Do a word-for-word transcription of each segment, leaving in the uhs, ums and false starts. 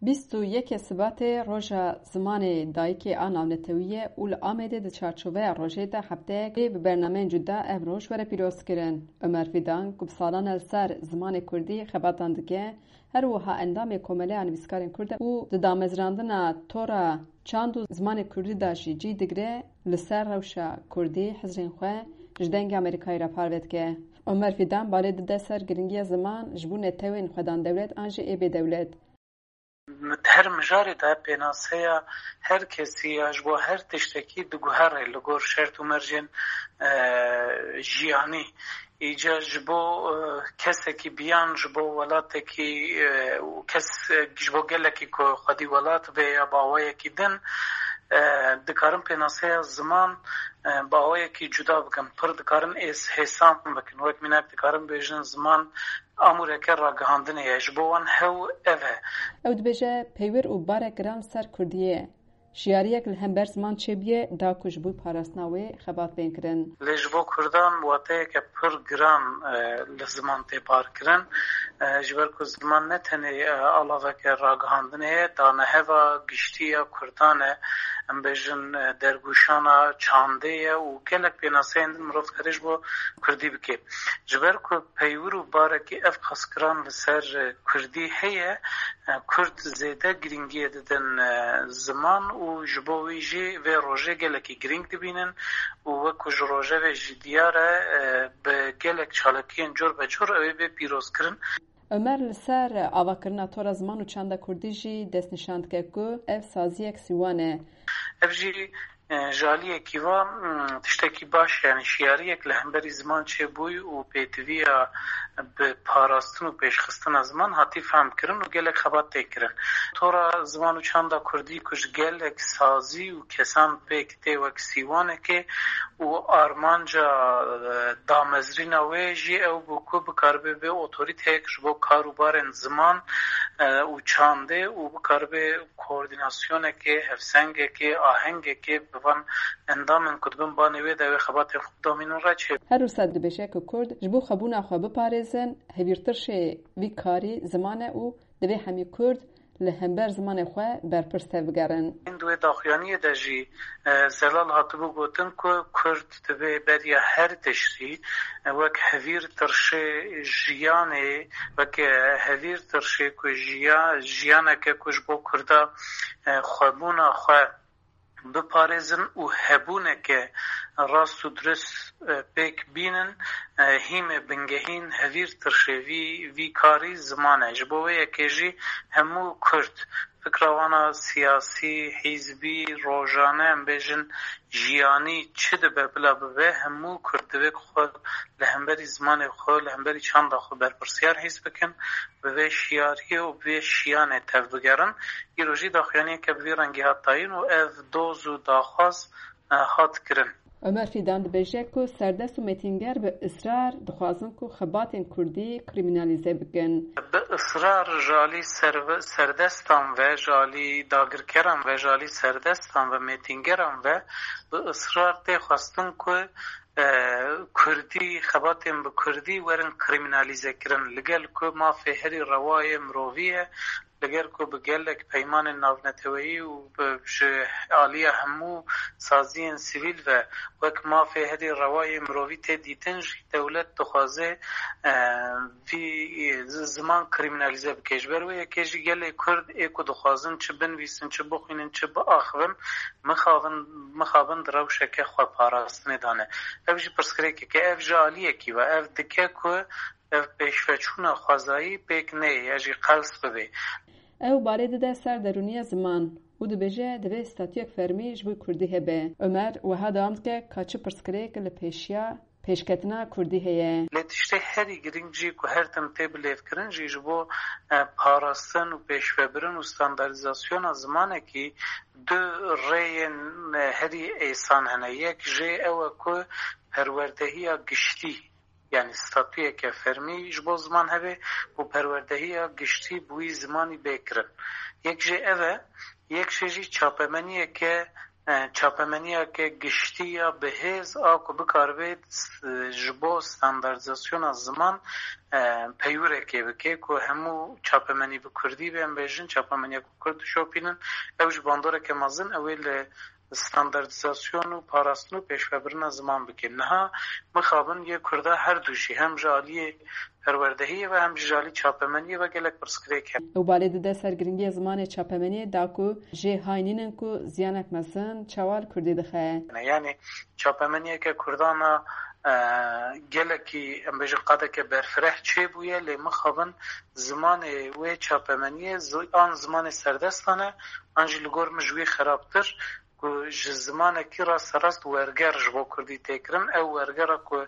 Bîst û yekê Sibatê roja zimanê dayikê a navnetewî ye û li Amedê di çarçoveya rojê de hefteyek bi bernameyên cuda ev roj were pîrozkirin. Omer Fîdan, ku bi salan e li ser zimanê kurdî xebatan dike, her wiha endamê Komeleya Nivîskarên Kurd e û di damezrandina tora çand û zimanê kurdî de jî cî digre, li ser rewşa kurdî hizrên xwe ji Dengê Amerîkayê re parve dike. Omer Fîdan balê dide ser giringiya ziman ji bo netewên xwedan dewlet an jî ê bêdewlet. Di her mijarê de pênaseya her kesî ya ji bo her tiştekî diguhere li gor şert û mercên, e, jiyanî. Îca ji bo, e, kesekî biyan ji bo welatekî, e, û kes, e, ji bo gelekî ku xwedî welat be ya bi awayekî din, e, dikarin pênaseya ziman, e, bi awayekî cuda bikin. Pir dikarin ês-, hêsan bikin. Wek mînak dikarin bêjin ziman amûreke ragihandinê ye. Ji bo wan hew ev e. Ew dibêje, peywir û barek giran li ser kurdiyê ye. Şiyariyek li hember ziman çêbûye, da ku ji bo parastina wê xebat bên kirin. Lê ji bo kurdan wateyeke pir giran, e, li ziman tê bar kirin. E, ji ber ku ziman ne tenê, e, alaveke ragihandinê ye, daneheva giştî ya kurdan e, em bêjin, e, dergûşana çandê ye û gelek pênaseyên din mirov dikare ji bo kurdî bike. Ji ber ku peywir û barekî ev qasgiran li ser, e, kurdî heye, e, kurd zêde girîngiyê didin, e, ziman û ji bo wî jî vê rojê gelekî girîng dibînin û wek ku ji rojevê jî diyar e, e, bi gelek çalakiyên cor be cor ew ê bê pîrozkirin. Omer li ser avakirina tora ziman û çanda kurdî jî destnîşan dike ku ev saziyek sîwan e. Ev jî, e, ji aliyekî va, mm, tiştekî baş, yanî şiyariyek li hemberî ziman çêbûyî û pêdiviya bi parastin û pêşxistina ziman hatî fehmkirin û gelek xebat tê kirin. Tora ziman û çanda kurdî ku ji gelek sazî û kesan pêk tê wek sîwanekê û armanca, e, damezrîna wê jî ew bû ku bikaribe bê otorîteyek ji bo kar û barên ziman, e, û çandê û bikaribe koordînasyonekê, hevsengekê, ahengekê bi van endamên ku dibin banê wê de wê xebatên xwe bidomînin reçê. Her wisa dibêje ku Kurd ji bo xwebûna xwe biparêzin, hevîrtirşê vî karî ziman e û divê hemî Kurd li hember zimanê xwe berpirs tevbigerin. Di wê daxuyaniyê de jî, e, zelal hatibû gotin ku Kurd divê beriya her tiştî, e, wek hevîrtirşê jiyanê, wek, e, hevîrtirşê ku jiya-, jiyaneke ku ji bo Kurda, e, xwebûna xwe biparêzin û hebûneke rast û dirust, e, pêk bînin, e, hîmê bingehîn hevîrtirşê vî, vî karî ziman e. Ji bo wê yekê jî hemû Kurd, fikra wana siyasî, hîzbî, rojane, em bêjin jiyanî çi dibe bila bibe, hemû Kurd divê ku xwe li hemberî zimanê xwe, li hemberî çanda xwe berpirsiyar hîs bikin, bi vê şiyariyê û bi vê şiyanê tevbigerin. Îro jî daxuyaniyeke bi vî rengî hat dayîn û ev doz û daxwaz, e, hat kirin. Omer Fîdan dibêje ku serdest û mêtînger bi israr dixwazin ku xebatên kurdî krîmînalîze bikin. Bi israr ji alî serve-, serdestan ve, ji alî dagirkeran ve, ji alî serdestan ve, mêtîngeran ve bi israr tê xwestin ku, e, kurdî, xebatên bi kurdî werin krîmînalîze kirin. Li gel ku mafê herî rewayê mirovî ye, li gel ku bi gelek peymanên navneteweyî û bi, ji aliya hemû saziyên sivîl ve wek mafê herî rewayê mirovî tê dîtin jî, dewlet dixwaze, e, vî, e, zi-, ziman krîmînalîze bike. Ji ber wê yekê jî gelê Kurd ê ku dixwazin çi binivîsin, çi bixwînin, çi biaxivin, mixabin, mixabin di rewşeke xweparastinê de ne. Ev jî pirsgirêkek e, ev ji aliyekî ve, ev dike ku ev pêşveçûna xwezayî pêk neyê ya jî qels bibe. Ew balê dide ser derûniya ziman û dibêje divê statuyek fermî ji bo kurdî hebe. Omer wiha dewam dike ka çi pirsgirêk li pêşiya pêşketina kurdî heye. Lê tiştê herî girîng jî ku her tim tê bilêvkirin jî ji bo, e, parastin û pêşvebirin û standardîzasyona zimanekî du rêyên, e, herî êsan hene. Yek jê ew e ku perwerdehiya giştî, yanî statuyeke fermî ji bo ziman hebe û perwerdehiya giştî bi wî zimanî bê kirin. Yek jê ev e, yek jê jî çapemeniyeke e, çapemeniyeke giştî ya bihêz a ku bikaribe s-, ji bo standardizasyona ziman, e, peywireke bike ku hemû çapemenî bi kurdî be, em bêjin çapemeniya ku kurd dişopînin, ew ji bandoreke mezin ew ê li standardizasyon û parastin û pêşvebirina ziman bike. Niha mixabin yê kurda her du jî, hem ji aliyê perwerdehiyê ve hem jî ji alî çapemeniyê ve gelek pirsgirêk hene. Ew balê dide ser giringiya zimanê çapemeniyê da ku jê hay nînin ku ziyanek mezin çawa li kurdî dixe. Yani çapemeniyeke kurdan a, e, gelekî, em bêjin qadeke berfireh çêbûye, lê mixabin zimanê wê çapemeniyê zi-, an zimanê serdestan e, an jî li gor min ji wî xerabtir, ku ji zimanekî rasterast werger ji bo kurdî tê kirin. Ew wergera ku,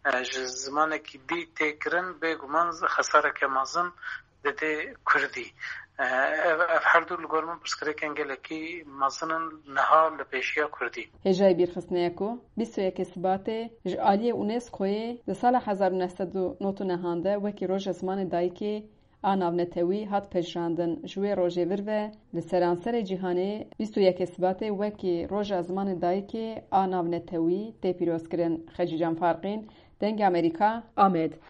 e, ji zimanekî dî tê kirin, bêguman xesareke mezin didê kurdî. E, ev, ev her du li gor min pirsgirêkên gelekî mezin in niha li pêşiya kurdî. Hêjayî bîrxistinê ye ku bîst û yekê Sibatê ji aliyê UNESCOyê di sala hezar û neh sed û nod û nehan de wekî Roja Zimanê Dayikê a navnetewî hat pejirandin. Ji wê rojê vir ve li seranserê cîhanê bîst û yekê Sibatê wekî Roja Zimanê Dayikê a navnetewî tê pîrozkirin. Xecîcan Farqîn, Dengê Amerîka, Amed.